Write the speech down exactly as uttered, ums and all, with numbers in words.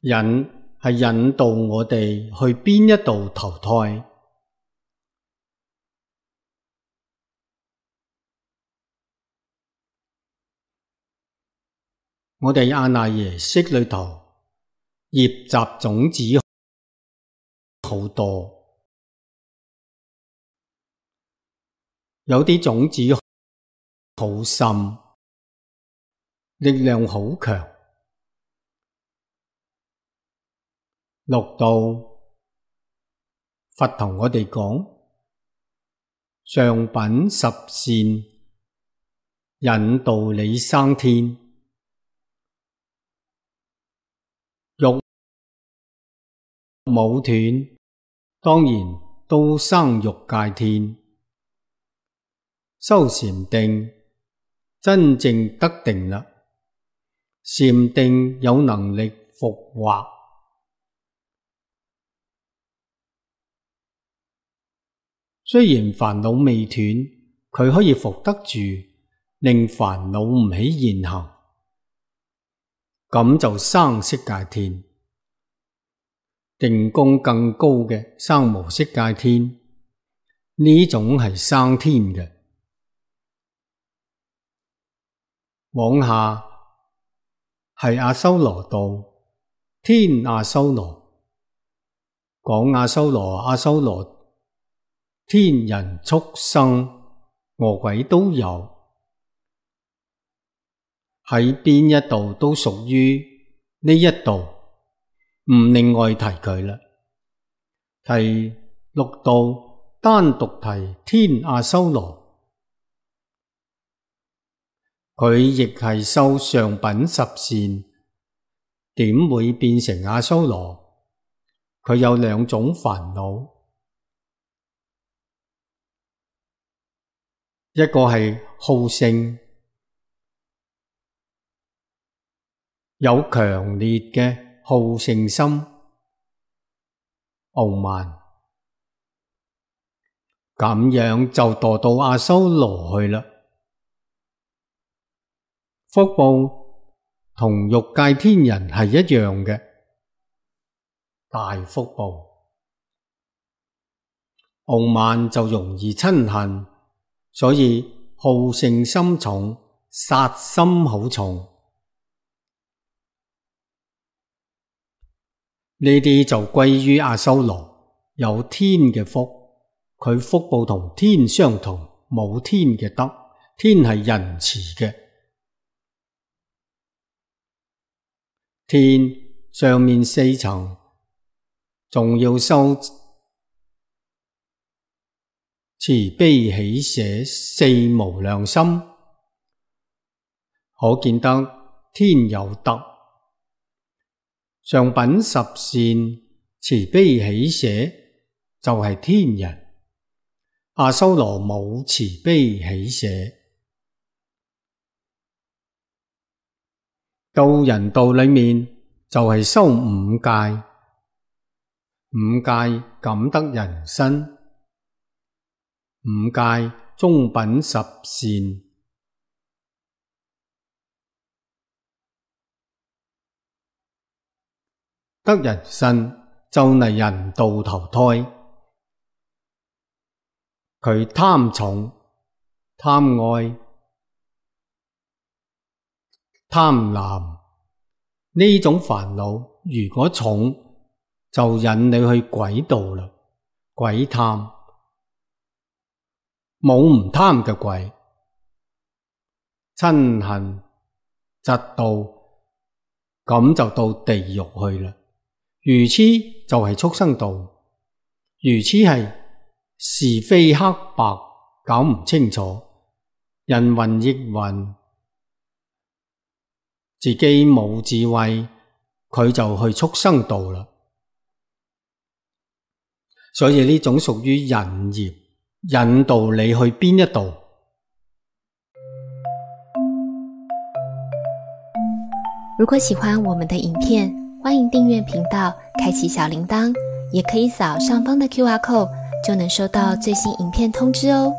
引係引導我哋去邊一度投胎。我哋阿賴耶識裏頭業習種子好多，有啲種子好深，力量好強。六道佛同我哋講，上品十善引導你生天，欲冇斷，當然都生欲界天。修禪定，真正得定啦，禪定有能力復惑。雖然煩惱未斷，佢可以伏得住，令煩惱唔起現行，咁就生色界天。定功更高嘅生無色界天，呢種係生天嘅。往下係阿修羅道，天阿修羅，講阿修羅阿修羅。天人畜生餓鬼都有，喺邊一度都屬於呢一度，唔另外提佢啦。提六道單獨提天阿修羅，佢亦係修上品十善，點會變成阿修羅？佢有兩種煩惱。一個係好勝，有強烈嘅好勝心，傲慢，咁樣就墮到阿修羅去啦。福報同欲界天人係一樣嘅，大福報。傲慢就容易嗔恨。所以好勝心重，殺心好重，呢啲就歸於阿修羅，有天嘅福，佢福報同天相同，冇天嘅德，天係仁慈嘅。天上面四層，仲要修慈悲喜捨四無量心，可見得天有德。上品十善慈悲喜捨就係天人，阿修羅冇慈悲喜捨。到人道裏面就係修五戒，五戒感得人身。五戒中品十善，得人身就嚟人道投胎。佢貪重、貪愛、貪婪呢種煩惱，如果重就引你去鬼道啦，鬼貪。冇唔貪嘅鬼，嗔恨、嫉妒，咁就到地獄去啦。愚痴就係畜生道，愚痴係是非黑白搞唔清楚，人云亦云，自己冇智慧，佢就去畜生道啦。所以呢種屬於引業，引導你去邊一度。如果喜歡我們的影片，歡迎訂閱頻道，開啟小鈴鐺，也可以掃上方的 Q R code，就能收到最新影片通知哦。